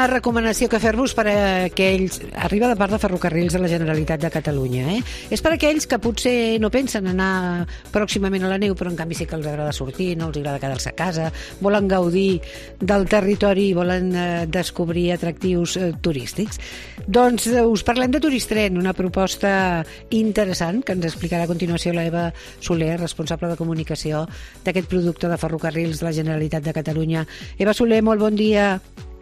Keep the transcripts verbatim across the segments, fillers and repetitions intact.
una recomanació que fer-vos per a aquells... Arriba de part de Ferrocarrils de la Generalitat de Catalunya, eh? És per a aquells que potser no pensen anar pròximament a la neu, però en canvi sí que els agrada sortir, no els agrada quedar-se a casa, volen gaudir del territori i volen eh, descobrir atractius eh, turístics. Doncs eh, us parlem de Turistren, una proposta interessant que ens explicarà a continuació l'Eva Soler, responsable de comunicació d'aquest producte de Ferrocarrils de la Generalitat de Catalunya. Eva Soler, molt bon dia.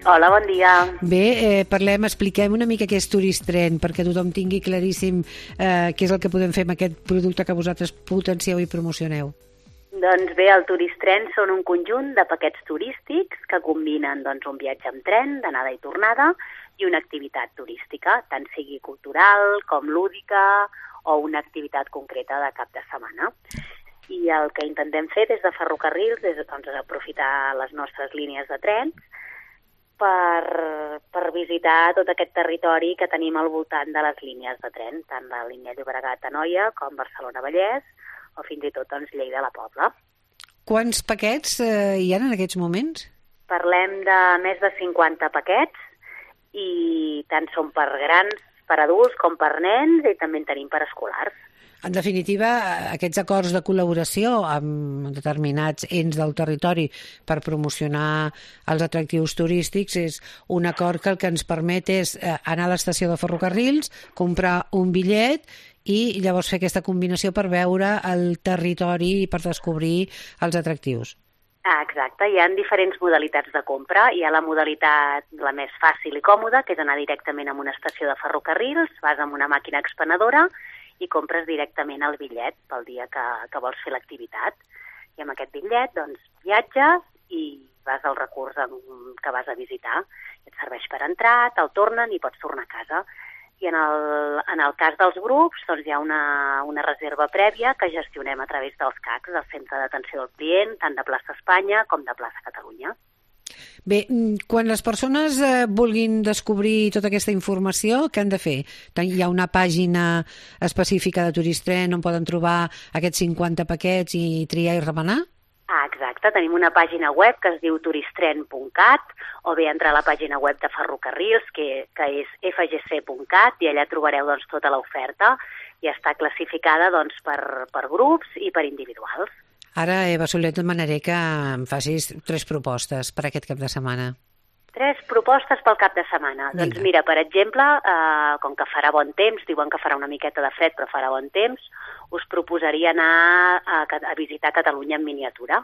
Hola, bon dia. Bé, eh, parlem, expliquem una mica què és Turistren, perquè tothom tingui claríssim eh, què és el que podem fer amb aquest producte que vosaltres potencieu i promocioneu. Doncs bé, el Turistren són un conjunt de paquets turístics que combinen doncs, un viatge amb tren, d'anada i tornada, i una activitat turística, tant sigui cultural com lúdica o una activitat concreta de cap de setmana. I el que intentem fer des de Ferrocarrils és doncs, aprofitar les nostres línies de trens per, per visitar tot aquest territori que tenim al voltant de les línies de tren, tant la línia Llobregat-Anoia com Barcelona-Vallès o fins i tot doncs, Lleida-La Pobla. Quants paquets eh, hi ha en aquests moments? Parlem de més de cinquanta paquets i tant són per grans, per adults com per nens i també en tenim per escolars. En definitiva, aquests acords de col·laboració amb determinats ens del territori per promocionar els atractius turístics és un acord que el que ens permet és anar a l'estació de Ferrocarrils, comprar un bitllet i llavors fer aquesta combinació per veure el territori i per descobrir els atractius. Ah, exacte, hi ha diferents modalitats de compra. Hi ha la modalitat la més fàcil i còmoda, que és anar directament a una estació de ferrocarrils, vas amb una màquina expenedora i compres directament el bitllet pel dia que, que vols fer l'activitat. I amb aquest bitllet doncs, viatges i vas al recurs que vas a visitar. Et serveix per entrar, te'l tornen i pots tornar a casa. I en el, en el cas dels grups doncs, hi ha una, una reserva prèvia que gestionem a través dels C A Cs, del Centre d'Atenció al Client, tant de Plaça Espanya com de Plaça Catalunya. Bé, quan les persones eh, vulguin descobrir tota aquesta informació, què han de fer? Hi ha una pàgina específica de Turistren on poden trobar aquests cinquanta paquets i triar i remenar? Ah, exacte. Tenim una pàgina web que es diu turistren punt cat o bé entrar a la pàgina web de Ferrocarrils, que, que és f g c punt cat, i allà trobareu doncs, tota l'oferta i està classificada doncs, per, per grups i per individuals. Ara, Eva Soler, et demanaré que em facis tres propostes per aquest cap de setmana. Tres propostes pel cap de setmana. Vinga. Doncs mira, per exemple, eh, com que farà bon temps, diuen que farà una miqueta de fred, però farà bon temps, us proposaria anar a, a visitar Catalunya en miniatura,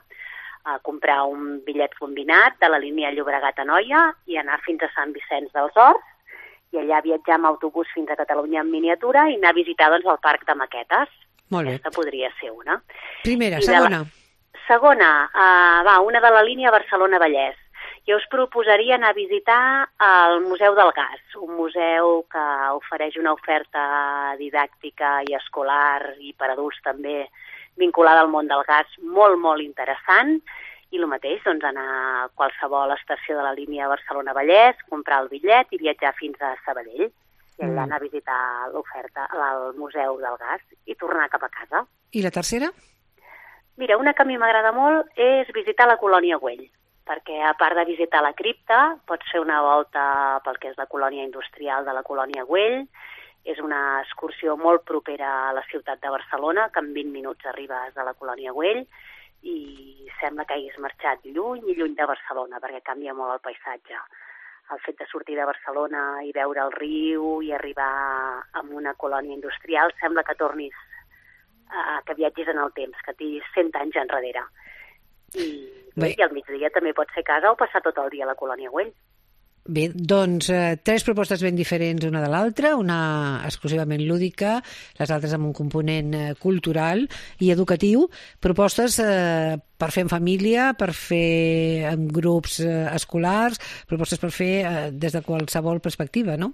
a comprar un bitllet combinat de la línia Llobregat-Anoia i anar fins a Sant Vicenç dels Horts i allà viatjar amb autobús fins a Catalunya en miniatura i anar a visitar doncs, el Parc de Maquetes. Molt bé. Aquesta podria ser una. Primera, I segona. La... Segona, eh, va, una de la línia Barcelona-Vallès. Jo us proposaria anar a visitar el Museu del Gas, un museu que ofereix una oferta didàctica i escolar i per adults també vinculada al món del gas molt, molt interessant. I el mateix, doncs, anar a qualsevol estació de la línia Barcelona-Vallès, comprar el bitllet i viatjar fins a Sabadell. I allà anar a visitar l'oferta al Museu del Gas i tornar cap a casa. I la tercera? Mira, una que a mi m'agrada molt és visitar la Colònia Güell, perquè a part de visitar la cripta, pots fer una volta pel que és la colònia industrial de la Colònia Güell. És una excursió molt propera a la ciutat de Barcelona, que en vint minuts arribes a la Colònia Güell i sembla que hagis marxat lluny i lluny de Barcelona, perquè canvia molt el paisatge. El fet de sortir de Barcelona i veure el riu i arribar a una colònia industrial sembla que tornis, a, que viatgis en el temps, que tinguis cent anys enrere. I, i al migdia també pot ser casa o passar tot el dia a la Colònia Güell. Bé, doncs eh, tres propostes ben diferents una de l'altra, una exclusivament lúdica, les altres amb un component eh, cultural i educatiu, propostes eh, per fer en família, per fer en grups eh, escolars, propostes per fer eh, des de qualsevol perspectiva, no?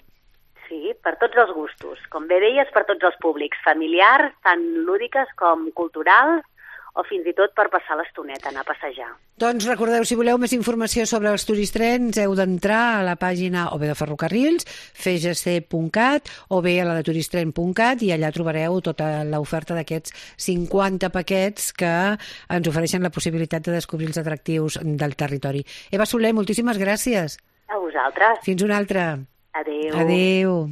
Sí, per tots els gustos. Com bé deies, per tots els públics, familiars, tant lúdiques com culturals, o fins i tot per passar l'estoneta, anar a passejar. Doncs recordeu, si voleu més informació sobre els Turistrens, heu d'entrar a la pàgina o bé de Ferrocarrils, f g c punt cat, o bé a la de turistren punt cat, i allà trobareu tota l'oferta d'aquests cinquanta paquets que ens ofereixen la possibilitat de descobrir els atractius del territori. Eva Soler, moltíssimes gràcies. A vosaltres. vosaltres. Fins una altra. Adéu. Adéu.